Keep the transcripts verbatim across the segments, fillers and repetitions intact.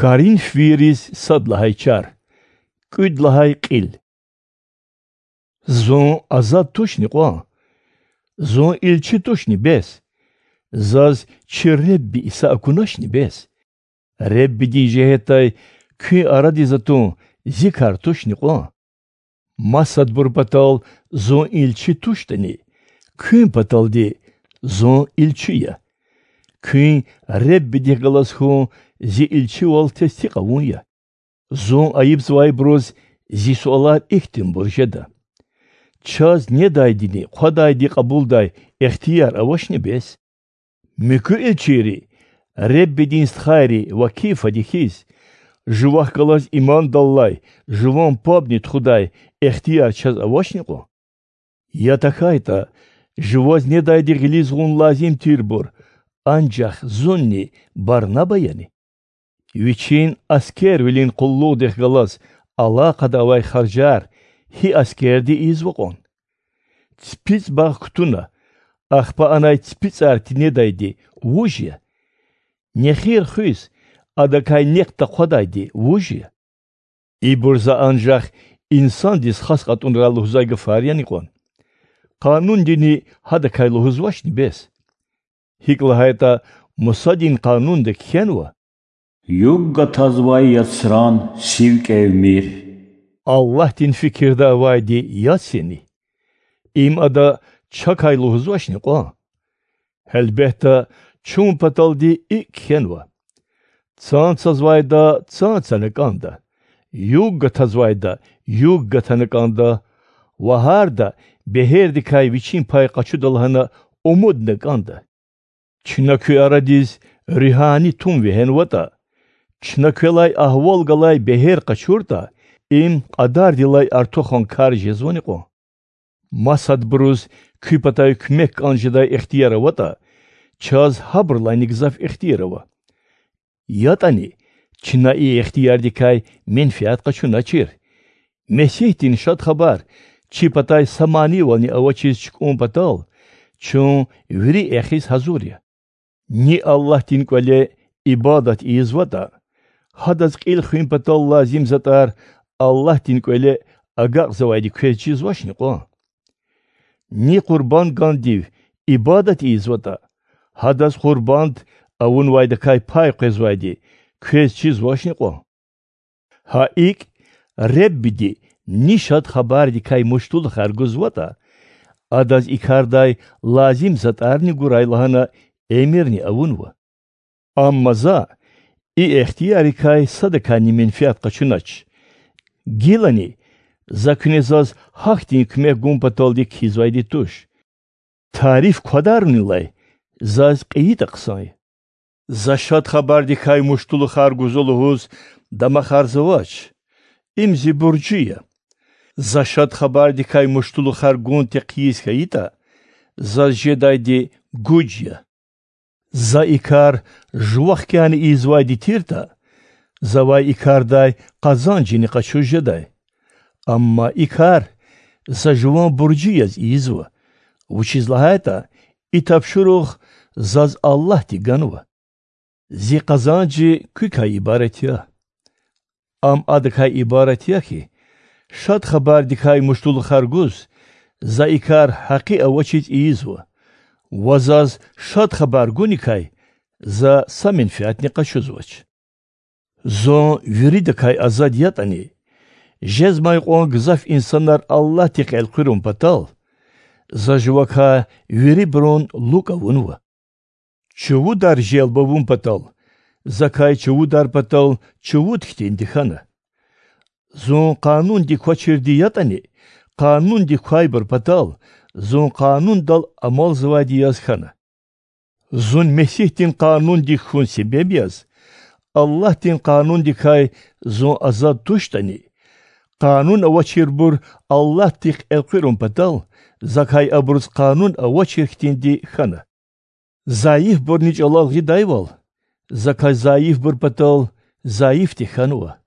Коринфвийриз сад лагьай чар, кӀуьд лагьай кьил. Зун азад тушни кьван? Зун илчи тушни бес? Заз чи Ребби Иса акуначни бес? Реббидин жигьетдай куьн арадиз атун зи кар тушни кьван? Масадбур патал зун илчи туштӀани, куьн паталди зун илчи я. Куьн Реббидихъ галаз хьун зи илчивал тестикь авун я. Зун айибзавайбуруз зи суалар ихьтинбур жеда: чаз недайдини хъвадайди кьабулдай ихтияр авачни бес? Муькуь илчийри, Реббидин стхайри ва Кифади хьиз, жувахъ галаз имандаллай жуван пабни тухудай ихтияр чаз авачни кьван? Я тахьайтӀа, жуваз недайди гъилиз гъун лазим тирбур анжах зунни Барнаба яни? Вичин аскервилин къуллугъдихъ галаз алакъада авай харжар гьи аскерди ийизва кьван? ЦипицӀ багъ кутуна, ахпа анай ципицӀар тинедайди вуж я? Нехир хуьз, адакай нек тахъвадайди вуж я? Ибур за анжах инсандиз хас кьатӀунрай лугьузвай гафар яни кьван? Къанундини гьадакай лугьузвачни бес? ГьикӀ лагьайтӀа Мусадин Къанунда кхьенва: Юг гатазвай яцран сив кӀевмир. Аллагьдин фикирда авайди яц яни? Им ада чакай лугьузвачни кьван? Гьелбетда, чун паталди икӀ кхьенва: цан цазвайда цан цана кӀанда, юг гатазвайда юг гатана кӀанда, ва гьарда бегьердикай вичин пай къачуда лагьана умудна кӀанда. Чна куь арадиз руьгьани тум вегьенватӀа, чна квелай агьвал галай бегьер къачуртӀа, им кьадардилай артухан кар жезвани кьван? Масадбуруз куь патай куьмек кӀан жедай ихтияр аватӀа, чаз гьабурулайни гзаф ихтияр ава. ЯтӀани чна и ихтиярдикай менфят къачуначир. Месигьдин Шад Хабар чи патай са манивални авачиз чукӀун патал чун вири эхиз гьазур я. Ни Аллагьдин кӀвале ибадат ийизватӀа, гьадаз кьил хуьн патал лазим затӀар Аллагьдин кӀвале агакьзавайди квез чизвачни кьван? Ни къурбанд гандив ибадат ийизватӀа, гьадаз къурбанд авунвайдакай пай къвезвайди квез чизвачни кьван? Гьа икӀ, Реббиди ни Шад Хабардикай муштулухар гузватӀа, адаз и кардай лазим затӀарни гурай лагьана эмирни авунва. Амма за и ихтиярикай садакайни менфят къачунач. Гилани за куьне заз гьахьтин куьмек гун паталди кхьизвайди туш. Тариф квадарунилай заз кьейитӀа хъсан я. За Шад Хабардикай муштулухар гузва лугьуз дамахарзавач. Им зи буржи я. За Шад Хабардикай муштулухар гун текъиз хьайитӀа, заз жедайди гуж я. За и кар жувахъ хьана ийизвайди тиртӀа, завай и кардай къазанжни къачуз жедай. Амма и кар за жуван буржи яз ийизва, вучиз лагьайтӀа и тапшуругъ заз Аллагьди ганва. Зи къазанжи куькай ибарат я. Ам адакай ибарат я хьи, Шад Хабардикай муштулухар гуз, за и кар гьакъи авачиз ийизва, ва заз Шад Хабар гуникай за са менфятни къачузвач. Зун виридакай азад ятӀани, жезмай кьван гзаф инсанар Аллагьдихъ элкъуьрун патал, за жувакай вирибурун лукӀ авунва. Чувудар желб авун патал, закай чувудар патал чувуд хьтинди хьана. Зун къанундик квачирди ятӀани, къанундик квайбур патал, зун къанундал амалзавайди яз хьана. Зун Месигьдин къанундик хьун себеб яз, Аллагьдин къанундикай зун азад туштӀани, къанун авачирбур Аллагьдихъ элкъуьрун патал, закай абуруз къанун авачир хьтинди хьана. Зайифбурни чӀалал гъидайвал, закай зайифбур патал зайифди хьанва.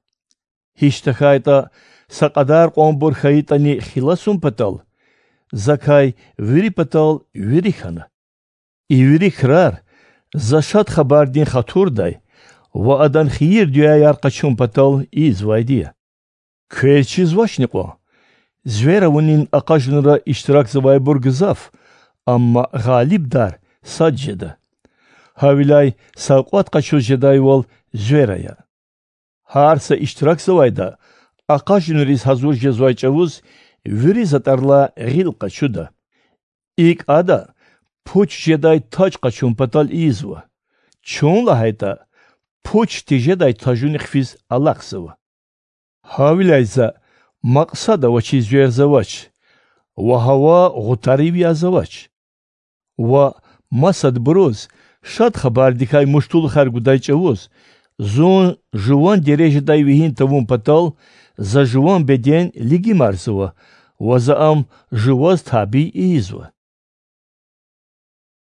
Гьич тахьайтӀа, са кьадар кьванбур хьайитӀани хиласун патал, закай вири патал вири хьана. И вири крар за Шад Хабардин хатурдай ва адан хийир-дуьаяр къачун патал ийизвайди я. Квез чизвачни кьван: звер авунин акъажунра иштиракзавайбур гзаф, амма гъалибдар сад жеда. Гьавиляй савкьват къачуз жедайвал звер ая. Гьар са иштиракзавайда акъажунриз гьазур жезвай чӀавуз вири затӀарилай гъил къачуда. ИкӀ ада пуч жедай таж къачун патал ийизва. Чун лагьайтӀа, пуч тежедай тажуни хъфиз алахъзава. Гьавиляй за макьсад авачиз верзавач ва гьава гъутарив язавач. Ва масадбуруз Шад Хабардикай муштулухар гудай чӀавуз зун жуван дережадай вегьин тавун патал за жуван беден лигимарзава ва за ам жуваз табий ийизва.